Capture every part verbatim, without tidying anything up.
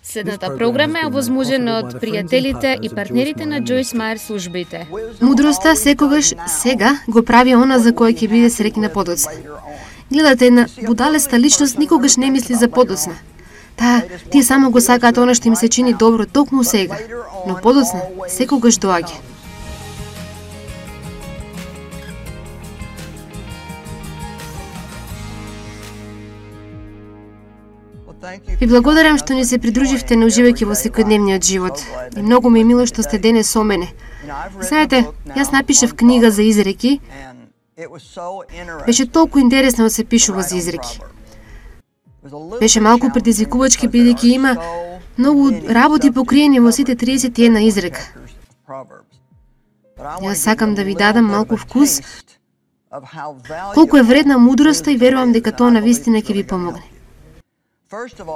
Следната програма е овозможена од пријателите и партнерите на Джойс Мајер службите. Мудроста секогаш сега го прави она за кој ќе биде среќна подоцна. Гледате, една будалеста личност никогаш не мисли за подоцна. Таа, тие само го сакаат она што им се чини добро токму сега, но подоцна секогаш доаѓа. Ви благодарам што ни се придруживте на уживајќи во секојдневниот живот. И многу ми е мило што сте денес со мене. Знаете, јас напишав книга за изреки. Беше толку интересно да се пишува за изреки. Беше малку предизвикувачки бидејќи има многу работи покриени во сите триесет и една изрека. Јас сакам да ви дадам малку вкус колку е вредна мудроста и верувам дека тоа навистина ќе ви помогне.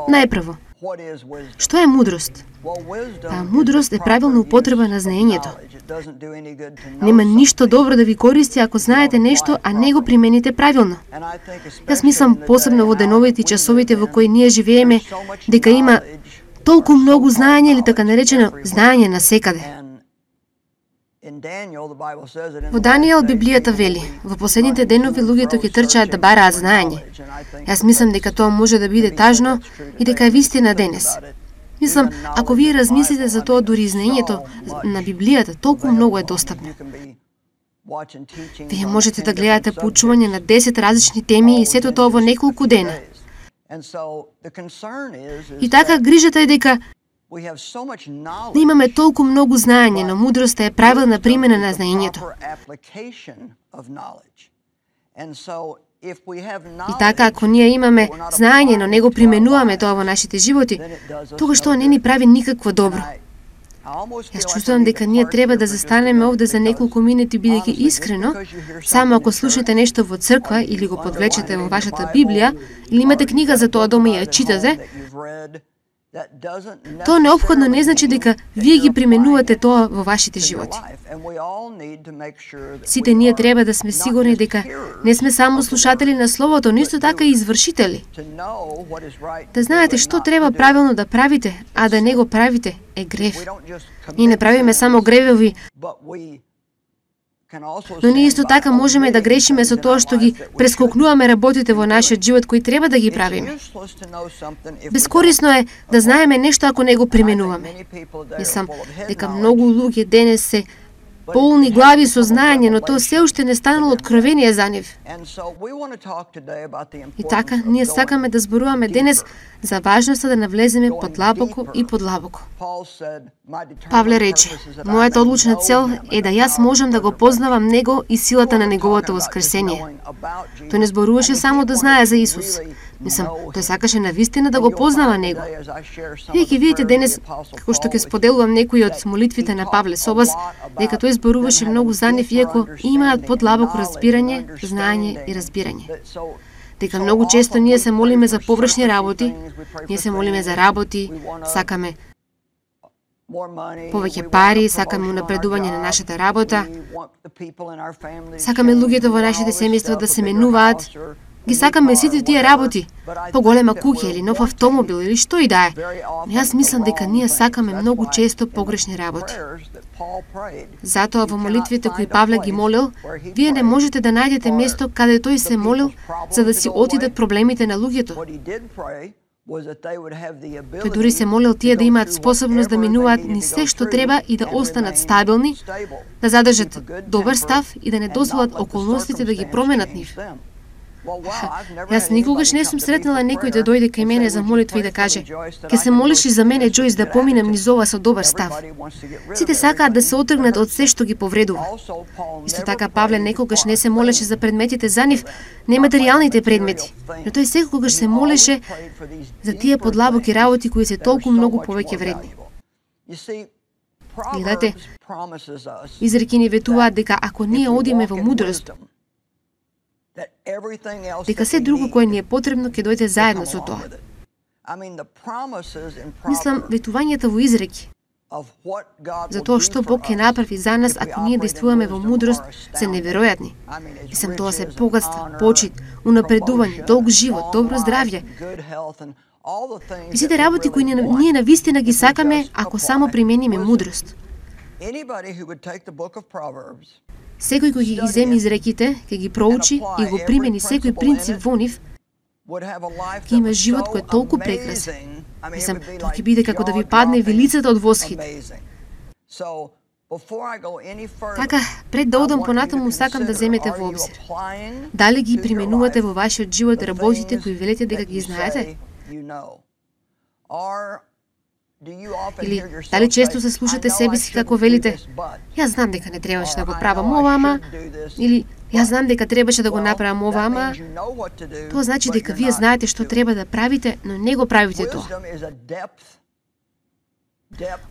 Најпрво, што е мудрост? Па, мудрост е правилна употреба на знаењето. Нема ништо добро да ви користи ако знаете нешто, а не го примените правилно. Јас мислам посебно во деновите и часовите во кои ние живееме, дека има толку многу знаење или така наречено знаење на секаде. Во Даниел Библијата вели, во последните денови луѓето ќе трчаат да бараат знаење. Јас мислам дека тоа може да биде тажно и дека е вистина денес. Мислам, ако вие размислите за тоа, дури знаењето на Библијата толку многу е достапно. Вие можете да гледате поучување на десет различни теми и сето тоа во неколку дена. И така грижата е дека да имаме толку многу знаење, но мудроста е правилна примена на знаењето. И така, ако ние имаме знаење, но не го применуваме тоа во нашите животи, тогаш тоа не ни прави никакво добро. Јас чувствувам дека ние треба да застанеме овде за неколку минути, бидејќи искрено, само ако слушате нешто во црква или го подвлечете во вашата Библија, или имате книга за тоа дома и ја читате, тоа неопходно не значи дека вие ги применувате тоа во вашите животи. Сите ние треба да сме сигурни дека не сме само слушатели на Словото, но исто така и извршители. Да знаете што треба правилно да правите, а да не го правите е грев. Ние не правиме само гревови, но ние исто така можеме да грешиме со тоа што ги прескокнуваме работите во нашиот живот кои треба да ги правиме. Бескорисно е да знаеме нешто ако не го применуваме. Мислам дека многу луѓе денес се полни глави со знаење, но тоа се уште не станало откровение за нив. И така, ние сакаме да зборуваме денес за важноста да навлеземе подлабоко и подлабоко. Павле рече, мојата одлучна цел е да јас можам да го познавам Него и силата на Неговото воскресение. Тој не зборуваше само да знае за Исус. Мислам, тој сакаше навистина да го познава Него. Вие ќе видите денес, како што ќе споделувам некои од молитвите на Павле со вас, дека тој зборуваше многу за нив, иако имаат подлабоко разбирање, знаење и разбирање. Дека многу често ние се молиме за површни работи, ние се молиме за работи, сакаме повеќе пари, сакаме унапредување на нашата работа, сакаме луѓето во нашите семејства да се менуваат, ги сакаме сите тие работи, поголема куќа или нов автомобил или што и да е. Но јас мислам дека ние сакаме многу често погрешни работи. Затоа во молитвите кои Павле ги молил, вие не можете да најдете место каде тој се молил за да си отидат проблемите на луѓето. Тој дури се молил тие да имаат способност да минуваат ни се што треба и да останат стабилни, да задржат добар став и да не дозволат околностите да ги променат нив. Јас никогаш не сум сретнала некој да дојде кај мене за молитва и да каже: "Ке се молиш и за мене, Джойс, да поминам низ ова со добар став." Сите сакаат да се отргнат од се што ги повредува. Исто така Павле некогаш не се молеше за предметите за нив, нематеријалните предмети, но тој секогаш се молеше за тие подлабоки работи кои се толку многу повеќе вредни. Гледате, изреки ни ветуваат дека ако ние одиме во мудрост, дека се друго кое ни е потребно ќе дојде заедно со тоа. Мислам, ветувањата во изреки за тоа што Бог ќе направи за нас ако ние действуваме во мудрост се неверојатни. Мислам, тоа се богатство, почит, унапредување, долг живот, добро здравје. И сите работи кои ние навистина ги сакаме ако само примениме мудрост. Секој кој ги земи изреките, ќе ги проучи и го примени секој принцип во нив, ќе има живот кој е толку прекрасен. Мислам, тоа ќе биде како да ви падне вилицата од восхит. Така, пред да одам понатаму, сакам да земете во обзир. Дали ги применувате во вашиот живот работите кои велите дека ги знаете? Или дали често се слушате себе си како велите: јас знам дека не требаше да го правам ова, ама, или јас знам дека требаше да го направам ова, ама. Тоа значи дека вие знаете што треба да правите, но не го правите тоа.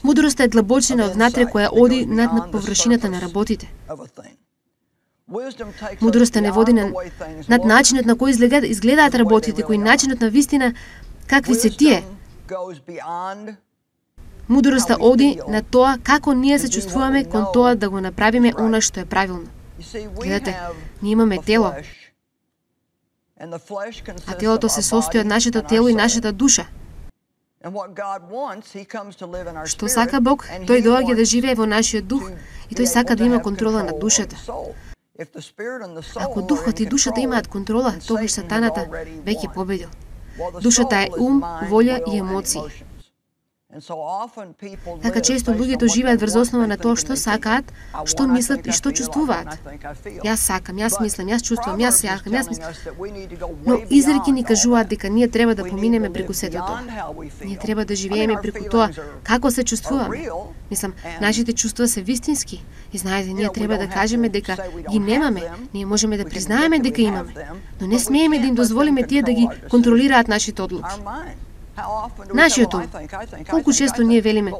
Мудроста е длабочина од внатре која оди над над површината на работите. Мудроста не води на, над начинот на кој изгледаат, изгледаат работите, кој начинот на вистина какви се тие. Мудроста оди на тоа како ние се чувствуваме кон тоа да го направиме она што е правилно. Гледате, ние имаме тело, а телото се состои од нашето тело и нашата душа. Што сака Бог, тој доаѓа да живее во нашиот дух и тој сака да има контрола над душата. Ако духот и душата имаат контрола, тогаш сатаната веќе победил. Душата е ум, волја и емоции. Така често луѓето живеат врз основа на тоа што сакаат, што мислат и што чувствуваат. Јас сакам, јас мислам, јас чувствувам, јас сакам, јас мислам. Но изреки ни кажуваат дека ние треба да поминеме преку сето тоа. Ние треба да живееме преку тоа како се чувствуваме. Мислам, нашите чувства се вистински. И знаете, ние треба да кажеме дека ги немаме. Ние можеме да признаеме дека имаме, но не смееме да им дозволиме тие да ги контролираат нашите одлуки. Нашиот ум. Колку често ние велиме: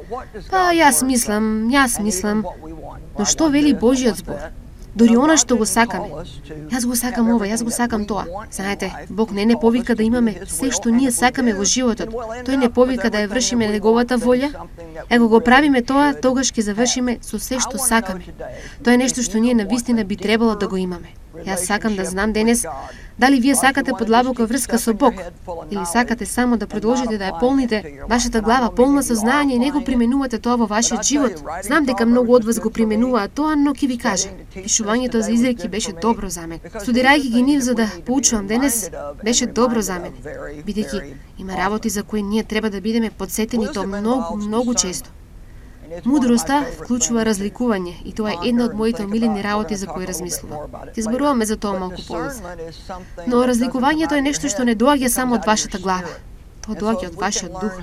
па јас мислам, јас мислам. Но што вели Божиот збор? Дори она што го сакаме. Јас го сакам ова, јас го сакам тоа. Знаете, Бог не не повика да имаме се што ние сакаме во животот. Тој не повика да ја вршиме неговата волја. Ако го правиме тоа, тогаш ќе завршиме со се што сакаме. Тоа е нешто што ние навистина би требало да го имаме. Јас сакам да знам денес дали вие сакате подлабока врска со Бог, или сакате само да продолжите да ја полните вашата глава полна со знаење и не го применувате тоа во вашиот живот. Знам дека многу од вас го применуваат тоа, но ќе ви кажам, пишувањето за изреки беше добро за мене. Студирајќи ги нив за да поучувам денес, беше добро за мене, бидејќи има работи за кои ние треба да бидеме подсетени тоа многу, многу често. Мудроста вклучува разликување и тоа е една од моите омилени работи за кои размислувам. Ќе зборуваме за тоа малку подоцна. Но разликувањето е нешто што не доаѓа само од вашата глава. Тоа доаѓа од вашиот дух.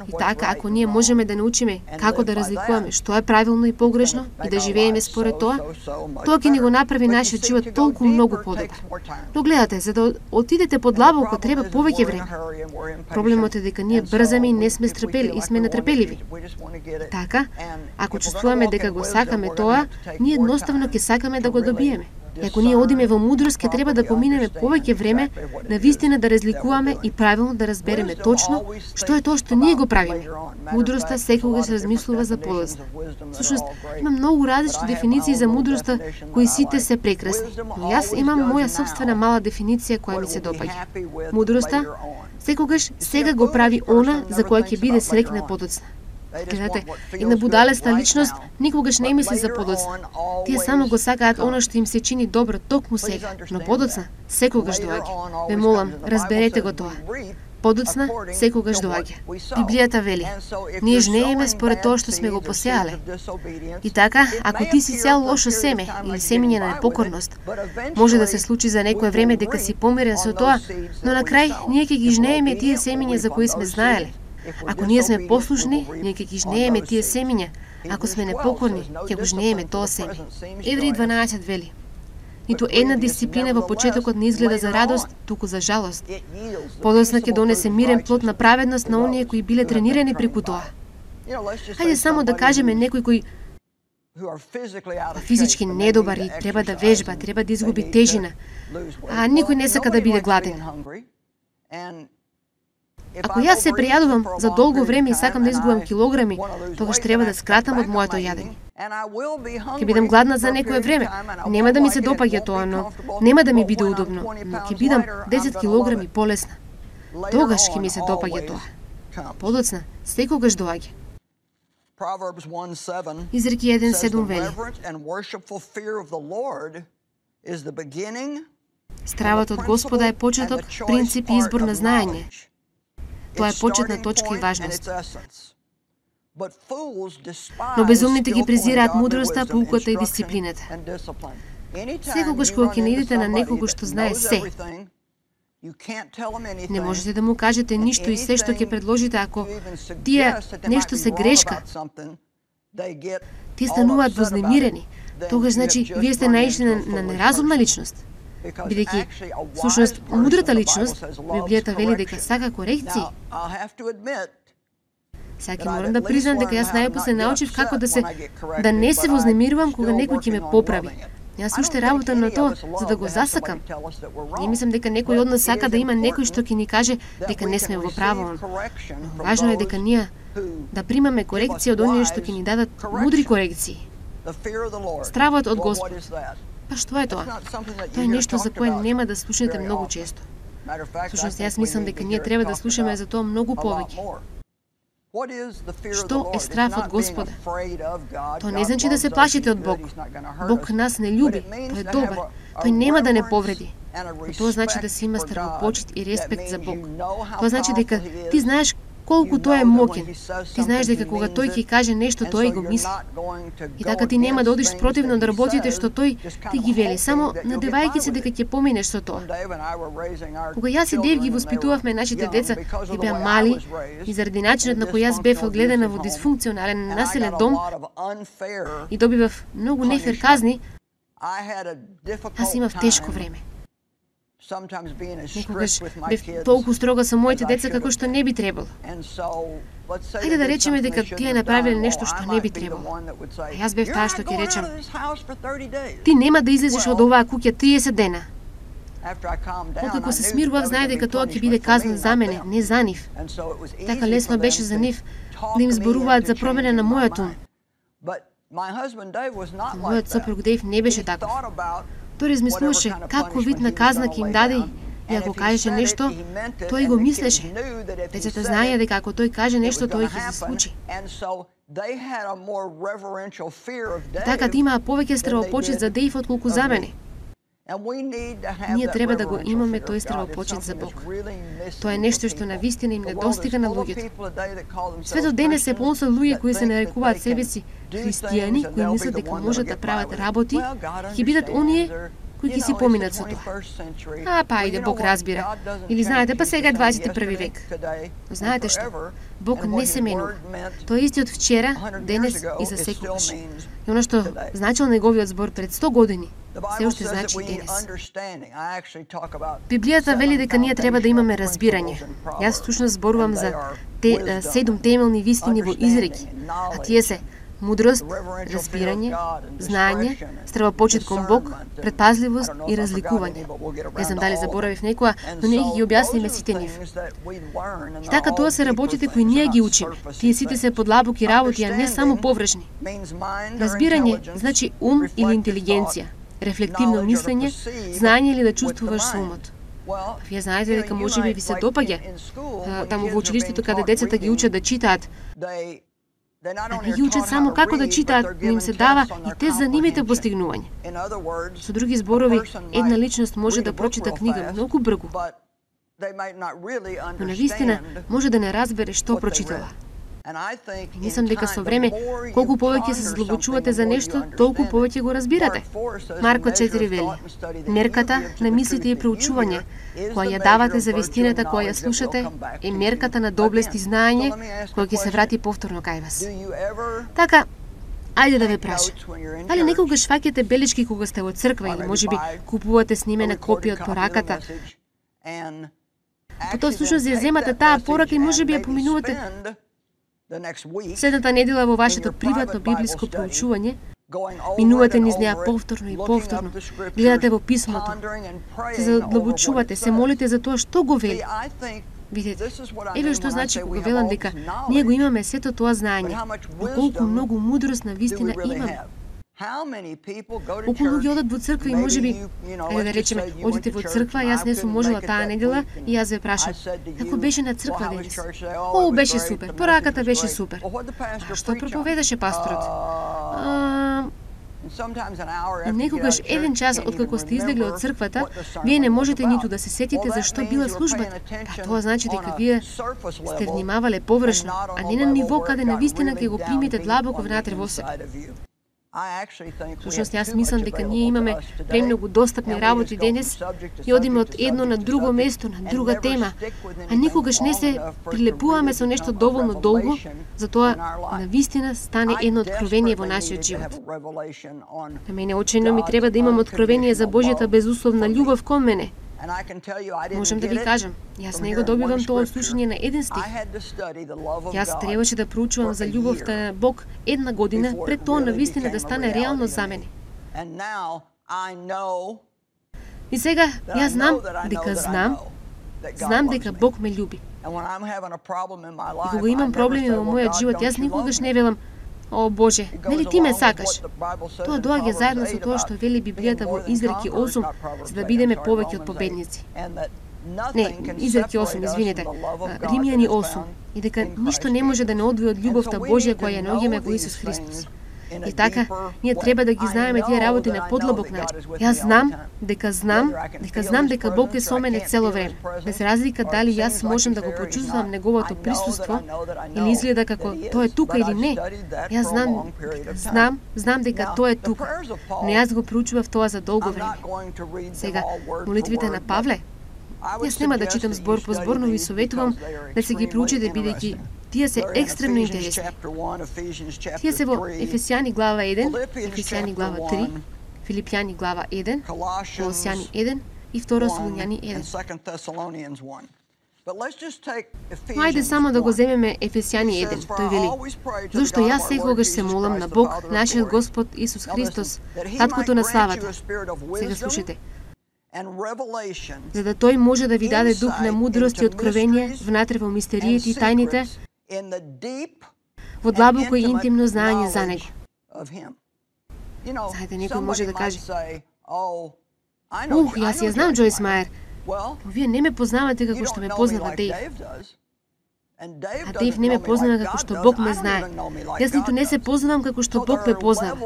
И така, ако ние можеме да научиме како да разликуваме што е правилно и погрешно и да живееме според тоа, тоа ќе ни го направи нашиот живот толку многу подобар. Но гледате, за да отидете подлабоко треба повеќе време. Проблемот е дека ние брзаме и не сме стрпели и сме нетрпеливи. Така, ако чувствуваме дека го сакаме тоа, ние едноставно ќе сакаме да го добиеме. И ако ние одиме во мудрост, ќе треба да поминеме повеќе време на вистина да разликуваме и правилно да разбереме точно што е тоа што ние го правиме. Мудроста секогаш размислува за подоцна. Всушност, има многу различни дефиниции за мудроста кои сите се прекрасни, но јас имам моја собствена мала дефиниција која ми се допаѓа. Мудроста секогаш сега го прави она за која ќе биде среќна подоцна. Гледате, една будалеста личност никогаш не мисли за подоцна. Тие само го сакаат она што им се чини добро токму сега, но подоцна секогаш доаѓа. Ве молам, разберете го тоа. Подоцна секогаш доаѓа. Библијата вели: ние жнееме според тоа што сме го посеале. И така, ако ти си сеал лошо семе или семење на непокорност, може да се случи за некое време дека си помирен со тоа, но на крај ние ќе ги жнееме тие семења за кои сме знаеле. Ако ние сме послушни, ние ќе ги жнееме тие семења. Ако сме непокорни, ќе го жнееме тоа семе. Евреи дванаесет вели: ниту една дисциплина во почетокот не изгледа за радост, туку за жалост. Подоцна ќе донесе мирен плод на праведност на оние кои биле тренирани преку тоа. Хајде само да кажеме некој кој физички недобар и треба да вежба, треба да изгуби тежина, а никој не сака да биде гладен. Ако јас се прејадувам за долго време и сакам да изгубам килограми, тогаш треба да скратам од моето јадење. Ќе бидам гладна за некое време. Нема да ми се допаѓа тоа, но нема да ми биде удобно, но ќе бидам десет килограми полесна. тогаш ќе ми се допаѓа тоа. Подоцна, секогаш доаѓа. Изреки еден седум вели: Стравот од Господа е почеток, принцип и избор на знаење. Тоа е почетна точка и важност. Но безумните ги презираат мудроста, поуката и дисциплината. Секогаш кога ќе наидете на некого што знае се, не можете да му кажете ништо и се што ќе предложите ако тие нешто се грешка. Тие стануваат вознемирени. Тогаш значи вие сте наишли на, на неразумна личност. Бидејќи, всушност, мудрата личност, Библијата вели дека сака корекции. Сега ќе морам да признам дека јас најпосле научив како да се да не се вознемирувам кога некој ќе ме поправи. Јас уште работам на тоа за да го засакам. Не мислам дека некој од нас сака да има некој што ќе ни каже дека не сме во право. Но важно е дека ние да примаме корекција од оние што ќе ни дадат мудри корекции. Стравот од Господ. Па што е тоа? Тоа е нешто за кое нема да слушнете многу често. Всушност, јас мислам дека ние треба да слушаме за тоа многу повеќе. Што е страв од Господа? Тоа не значи да се плашите од Бог. Бог нас не љуби, тој е добар. Тој нема да не повреди. Но тоа значи да се има страхопочит и респект за Бог. Тоа значи дека ти знаеш колку тој е моќен. Ти знаеш дека кога тој ќе каже нешто, тој го мисли. И така ти нема да одиш спротивно да работите што тој ти ги вели, само надевајќи се дека ќе поминеш со тоа. Кога јас и Дев ги воспитувавме нашите деца, тие беа мали и заради начинот на кој јас бев одгледана во дисфункционален населен дом и добивав многу нефер казни, јас имав тешко време. Некогаш бев толку строга со моите деца како што не би требало. Хајде да речеме дека тие направиле нешто што не би требало. А јас бев таа што ќе речем: ти нема да излезеш од оваа куќа триесет дена. Откако се смирував, знае дека тоа ќе биде казна за мене, не за нив. Така лесно беше за нив да им зборуваат за промена на мојот ум. Мојот сопруг Дейв не беше таков. Тој размислуваше како вид на казна ќе им даде и ако кажеше нешто, тој го мислеше. Децата знаеја дека ако тој каже нешто, тој ќе се случи. Така да имаа повеќе стравопочит за Дейв отколку за мене. Ние треба да го имаме тој стравопочит за Бог. Тоа е нешто што навистина им недостига на луѓето. Светот денес се полн со луѓе кои се нарекуваат себе си христијани, кои мислат дека можат да прават работи, ќе бидат оние кои ќе си поминат со тоа. А, па иде, Бог разбира. Или знаете, па сега е дваесет и први век. Но знаете што? Бог не се менува. Тој е истиот вчера, денес и за секогаш. И оно што значил неговиот збор пред сто години, се уште значи и денес. Библијата вели дека ние треба да имаме разбирање. Јас всушност зборувам за те, седум темелни вистини во изреки, а тие се мудрост, разбирање, знаење, стравопочит кон Бог, предпазливост и разликување. Не знам дали заборавив некоја, но ние ги објасниме сите нив. И така тоа се работите кои ние ги учиме. Тие сите се подлабоки работи, а не само површни. Разбирање значи ум или интелигенција, рефлективно мислење, знаење или да чувствуваш со умот. Вие знаете дека можеби ви се допаѓа таму во училиштето каде децата ги учат да читаат. А не ги учат само како да читаат, но им се дава и тест за нивните постигнувања. Со други зборови, една личност може да прочита книга многу брзо, но навистина може да не разбере што прочитала. И мислам дека со време, колку повеќе се задлабочувате за нешто, толку повеќе го разбирате. Марко четири вели: мерката на мислите и проучување, која ја давате за вистината која ја слушате, е мерката на доблест и знаење, која ќе се врати повторно кај вас. Така, ајде да ве прашам. Дали некогаш фаќате белешки кога сте во црква или можеби купувате снимена копија од пораката? Потоа всушност ја земате таа порака и можеби ја поминувате следната недела во вашето приватно библиско проучување, минувате низ неа повторно и повторно, гледате во писмото, се задлабочувате, се молите за тоа што го вели. Видете, еве што значи кога велам дека ние го имаме сето тоа знаење, но колку многу мудрост на вистина имаме. Колку луѓе одат во црква и можеби, ајде да речеме, одите во црква, јас не сум можела таа недела и јас ве прашам, како беше на црква денес? О, беше супер, пораката беше супер. А што проповедаше пасторот? А, И некогаш еден час откако сте излегли од црквата, вие не можете ниту да се сетите зашто била службата. Па тоа значи дека вие сте внимавале површно, а не на ниво каде навистина ќе го примите длабоко внатре во себе. Всушност, јас мислам дека ние имаме премногу достапни работи денес и одиме од едно на друго место, на друга тема, а никогаш не се прилепуваме со нешто доволно долго, затоа навистина стане едно откровение во нашиот живот. На мене очино ми треба да имам откровение за Божјата безусловна љубов кон мене. Можам да ви кажам, јас не го добивам тоа од слушање на еден стих. Јас требаше да проучувам за љубовта на Бог една година пред тоа навистина да стане реално за мене. И сега јас знам дека знам, знам дека Бог ме љуби. И кога имам проблеми во мојот живот, јас никогаш не велам: О Боже, нели ти ме сакаш? Тоа доаѓа заедно со тоа што вели Библијата во Изреки осум, за да бидеме повеќе од победници. Не, Изреки осум, извинете, Римјани осум, и дека ништо не може да не одвои од љубовта Божја која ја наоѓаме во Исус Христос. И така, ние треба да ги знаеме тие работи на подлабок начин. Јас знам дека знам, дека знам дека Бог е со мене цело време. Без разлика дали јас можам да го почувствувам неговото присуство или изгледа како тоа е тука или не. Јас знам, знам, знам дека тоа е тука. Но јас го проучував тоа за долго време. Сега, молитвите на Павле, јас нема да читам збор по збор, но ви советувам да се ги проучите бидејќи тие се екстремно интересни. Тие се во Ефесјани глава еден, Ефесјани глава три, Филипјани глава еден, Колосјани еден и второ Солуњани еден. Ајде само да го земеме Ефесјани еден. Тој вели: Зошто јас секогаш се молам на Бог, нашиот Господ Исус Христос, таткото на славата. Сега слушайте. За да тој може да ви даде дух на мудрост и откровение внатре во мистериите и тајните, во длабоко и интимно знаење за него. Знаете, некој може да каже: Ух, јас ја знам Джойс Мајер, но вие не ме познавате како што ме познава Дејв. А Дејв не ме познава како што Бог ме знае. Јас ниту не се познавам како што Бог ме познава.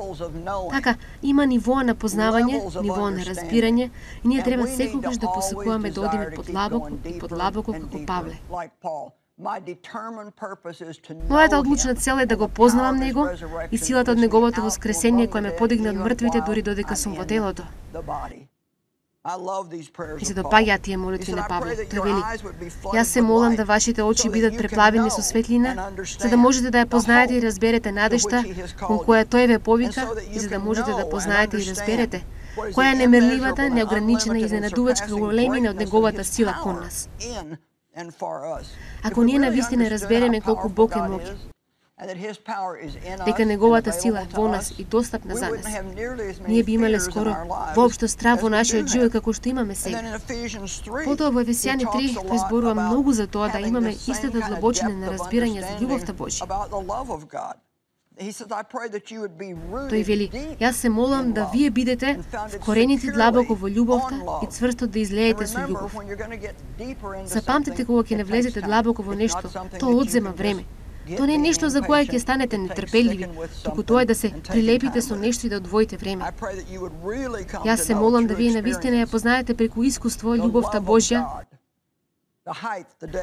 Така, има нивоа на познавање, нивоа на разбирање, и ние треба секогаш да посакуваме да одиме подлабоко и подлабоко како Павле. Мојата одлучна цел е да го познавам него и силата од неговото воскресение кој ме подигна од мртвите дори додека сум во телото. И се допаѓаат тие молитви на Павле. Тој вели: Јас се молам да вашите очи бидат преплавени со светлина, за да можете да ја познаете и разберете надежта кон која тој ве повика, и за да можете да познаете и разберете која е немерливата, неограничена и изненадувачка големина од неговата сила кон нас. Ако ние навистина разбереме колку Бог е моќен, дека неговата сила е во нас и достапна за нас, ние би имале скоро воопшто страв во нашиот живот како што имаме сега. Потоа во Ефесјани три тој зборува многу за тоа да имаме истата длабочина на разбирање за љубовта Божја. Тој вели: Јас се молам да вие бидете вкорените длабоко во љубовта и цврсто да излеете со љубов. Запамтете кога ќе не влезете длабоко во нешто, тоа одзема време. Тоа не е нешто за кое ќе станете нетрпеливи, туку тоа е да се прилепите со нешто и да одвоите време. Јас се молам да вие навистина ја познаете преку искуство љубовта Божја,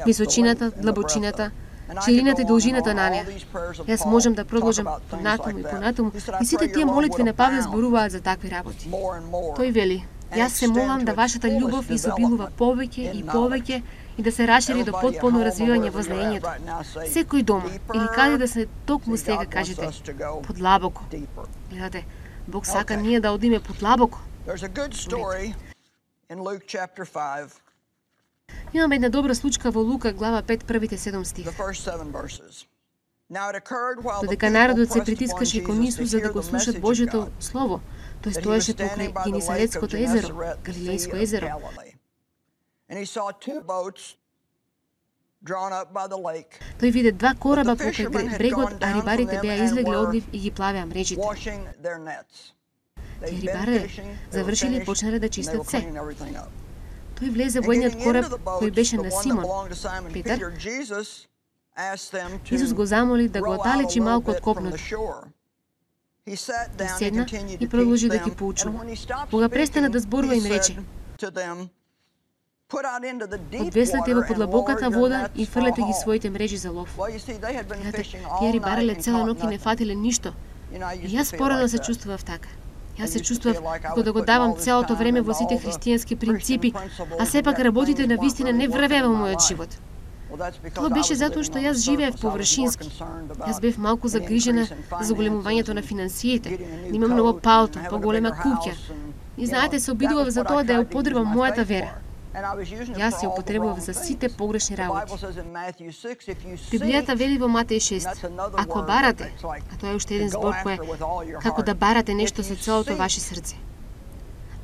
височината, длабочината, ширината и должината на неа. Јас можам да продолжам понатаму и понатаму, и сите тие молитви на Павле зборуваат за такви работи. Тој вели: Јас се молам да вашата љубов изобилува повеќе и повеќе и да се расшири до потполно развивање во знаењето. Секој дома или каде да се токму сега кажете: подлабоко. Гледате, Бог сака ние да одиме подлабоко. Имаме една добра случка во Лука глава пет, првите седум стих. Додека народот се притискаше кон Исус за да го слушат Божјото слово, тој стоеше покрај Генисаретското езеро, Галилејско езеро. Тој виде два кораба покрај брегот, а рибарите беа излегли од нив и ги плавеа мрежите. Тие рибари завршили и почнале да чистат се. Тој влезе во едниот кораб кој беше на Симон, Петар. Исус го замоли да го отдалечи малку од копното. Тој седна и продолжи да ги поучува. Кога престана да зборува, им рече: одвеслете во подлабоката вода и фрлете ги своите мрежи за лов. Гледате, тие рибареле цела ноќ и не фатиле ништо. И јас порано се чувствував така. Јас се чувствував како да го давам целото време во сите христијански принципи, а сепак работите на вистина не врвеа во мојот живот. Тоа беше затоа што јас живеев површински. Јас бев малку загрижена за зголемувањето на финансиите. Имам ново палто, поголема куќа. И знаете, се обидував за тоа да ја употребам мојата вера. Јас се употребував за сите погрешни работи. Библијата вели во Матеј шест: ако барате, а тоа е уште еден збор кој е како да барате нешто со целото ваше срце.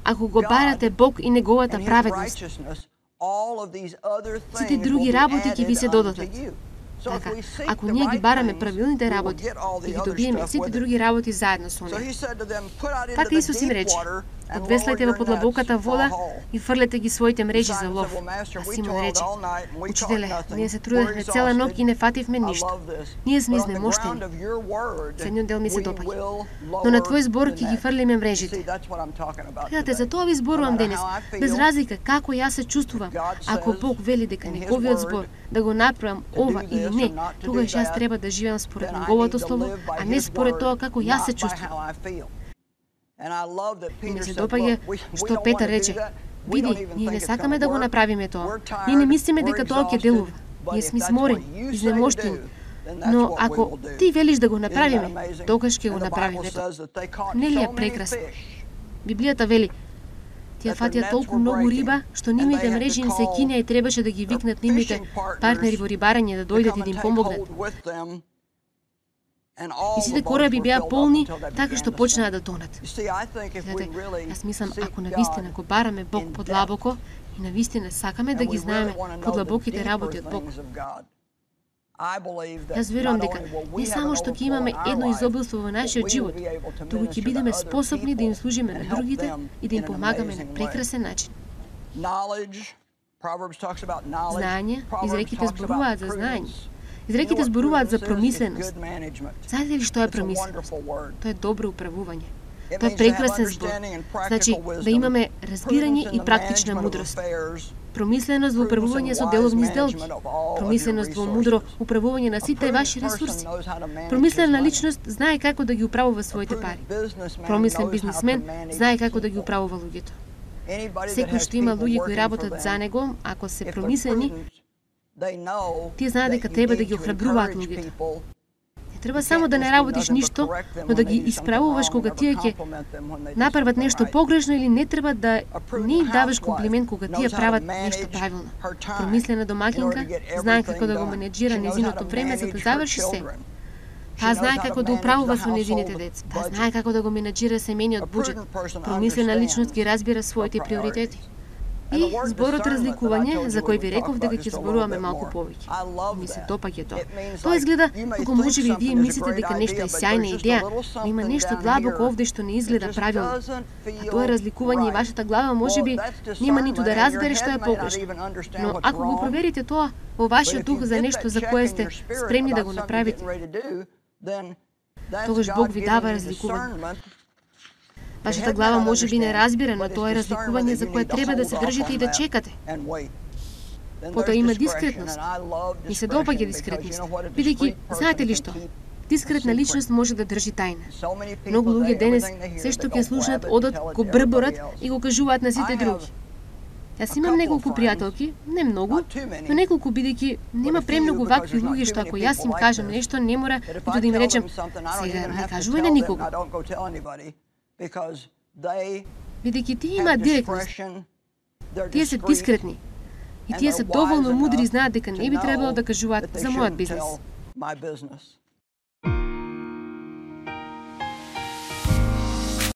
Ако го барате Бог и неговата праведност, сите други работи ќе ви се додадат. Така, ако ние ги бараме правилните работи, ќе ги добиеме сите други работи заедно со нив. Така Исус им рече: одвеслајте во подлабоката вода и фрлете ги своите мрежи за лов. А Симон рече: учителе, ние се трудевме цела ноќ и не фативме ништо. Ние сме изнемоштени. Следниот дел ми се допаѓа. Но на твој збор ќе ги фрлиме мрежите. Гледате, за тоа ви зборувам денес, без разлика како јас се чувствувам. Ако Бог вели дека неговиот збор да го направам ова или не, тогаш јас треба да живеам според неговото слово, а не според тоа како јас се чувствувам. И ми се допаѓа што Петар рече: види, ние не сакаме да го направиме тоа. Ние не мислиме дека тоа ќе делува. Ние сме сморени, изнемоштени. Но ако ти велиш да го направиме, тогаш ќе го направиме тоа. Нели е прекрасно? Библијата вели: тие фатија толку многу риба, што нивните мрежи им се кинеа и требаше да ги викнат нивните партнери во рибарење да дојдат и да им помогнат. И сите кораби беа полни, така што почнаа да тонат. Гледате, јас мислам, ако навистина го бараме Бог подлабоко и навистина сакаме да ги знаеме подлабоките работи од Бог, јас верувам дека не само што ќе имаме едно изобилство во нашиот живот, туку ќе бидеме способни да им служиме на другите и да им помагаме на прекрасен начин. Знаење, изреките зборуваат за знаење. Изреките зборуваат за промисленост. Знаете ли што е промисленост? Тоа е добро управување. Тоа е прекрасен збор. Значи, да имаме разбирање и практична мудрост. Промисленост во управување со деловни сделки. Промисленост во мудро управување на сите ваши ресурси. Промислена личност знае како да ги управува своите пари. Промислен бизнисмен знае како да ги управува луѓето. Секој што има луѓе кои работат за него, ако се промислени, тие знаат дека треба да ги охрабруваат луѓето. Не треба само да не работиш ништо, но да ги исправуваш кога тие ќе направат нешто погрешно, или не треба да не им даваш комплимент кога тие прават нешто правилно. Промислена домакинка знае како да го менеджира незиното време за да заврши се. Таа знае како да управува со незините деца. Таа знае како да го менеджира семејниот буџет. Промислена личност ги разбира своите приоритети. И зборот разликување, за кој ви реков дека ќе зборуваме малку повеќе. Ми се допаѓа тоа. Тоа изгледа како можеби вие мислите дека нешто е сјајна идеја, но има нешто длабоко овде што не изгледа правилно. А тоа разликување и вашата глава можеби нема ниту да разбере што е погрешно. Но ако го проверите тоа во вашиот дух за нешто за кое сте спремни да го направите, тогаш Бог ви дава разликување. Вашата глава може би не разбира, но тоа е разликување за кое треба да се држите и да чекате. Потоа има дискретност. Ми се допаѓа дискретност, бидејќи, знаете ли што? Дискретна личност може да држи тајна. Многу луѓе денес се што ќе слушнат одат, го брборат и го кажуваат на сите други. Јас имам неколку пријателки, не многу, но неколку, бидејќи нема премногу вакви луѓе што ако јас им кажам нешто, не мора ниту да им речем: сега не кажувај на никого. Бидејќи тие имаат директност. Тие се дискретни. И тие се доволно мудри и знаат дека не би требало да кажуваат за мојот бизнес.